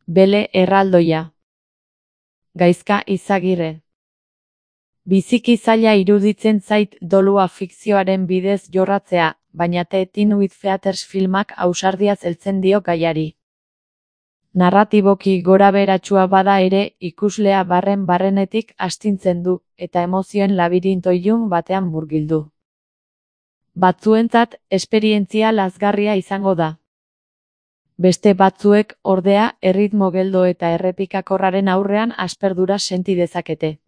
Bele erraldoia. Gaizka Izagirre. Biziki zaila iruditzen zait dolua fikzioaren bidez jorratzea, baina Teen with Feathers filmak ausardiaz heltzen dio gaiari. Narratiboki gorabeheratsua bada ere, ikuslea barrenetik astintzen du, eta emozioen labirinto ilun batean murgildu. Batzuentzat, esperientzia lazgarria izango da. Beste batzuek, ordea, erritmo geldo eta errepikakorraren aurrean asperdura senti dezakete.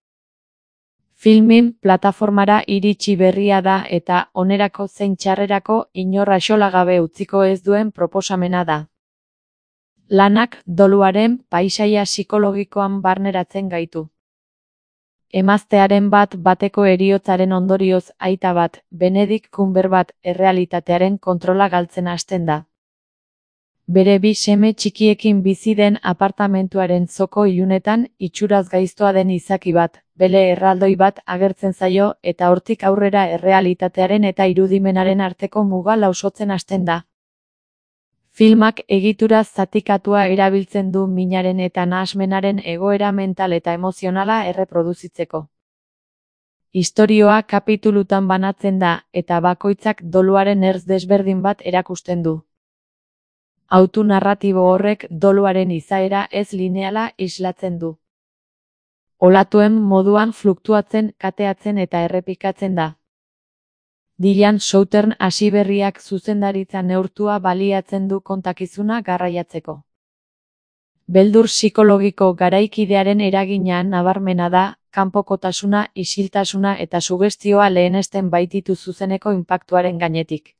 Filmin plataformara iritsi berria da eta onerako zein txarrerako inor axolagabe utziko ez duen proposamena da. Lanak doluaren paisaia psikologikoan barneratzen gaitu. Emaztearen bateko heriotzaren ondorioz aita bat, Benedict Cumberbatch errealitatearen kontrola galtzen hasten da. Bere bi seme txikiekin bizi den apartamentuaren zoko ilunetan itxuraz gaiztoa den izaki bat, bele erraldoi bat agertzen zaio eta hortik aurrera errealitatearen eta irudimenaren arteko muga lausotzen hasten da. Filmak egitura zatikatua erabiltzen du minaren eta nahasmenaren egoera mental eta emozionala erreproduzitzeko. Istorioa kapitulutan banatzen da eta bakoitzak doluaren ertz desberdin bat erakusten du. Autu narratibo horrek doluaren izaera ez lineala islatzen du. Olatuen moduan fluktuatzen, kateatzen eta errepikatzen da. Dylan Southern hasiberriak zuzendaritza neurtua baliatzen du kontakizuna garraiatzeko. Beldur psikologiko garaikidearen eragina nabarmena da, kanpokotasuna, isiltasuna eta sugestioa lehenesten baititu zuzeneko inpaktuaren gainetik.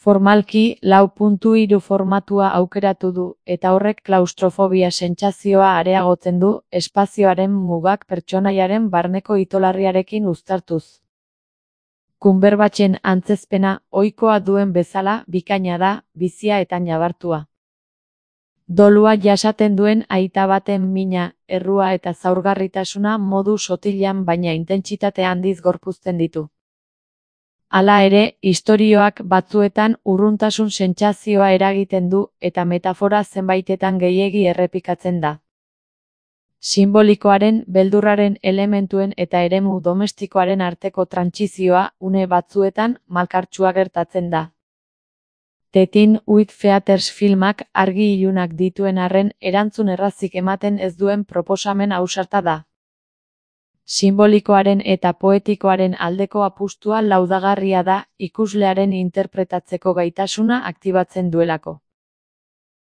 Formalki, 4:3 formatua aukeratu du, eta horrek klaustrofobia sentsazioa areagotzen du, espazioaren mugak pertsonaiaren barneko itolarriarekin uztartuz. Cumberbatchen antzezpena, ohikoa duen bezala, bikaina da, bizia eta nabartua. Dolua jasaten duen aita baten mina, errua eta zaurgarritasuna modu sotilan baina intentsitate handiz gorpuzten ditu. Hala ere, istorioak batzuetan urruntasun sentsazioa eragiten du eta metafora zenbaitetan gehiegi errepikatzen da. Sinbolikoaren, beldurraren elementuen eta eremu domestikoaren arteko trantsizioa une batzuetan malkartsua gertatzen da. Teen with Feathers filmak argi ilunak dituen arren erantzun errazik ematen ez duen proposamen ausarta da. Sinbolikoaren eta poetikoaren aldeko apustua laudagarria da, ikuslearen interpretatzeko gaitasuna aktibatzen duelako.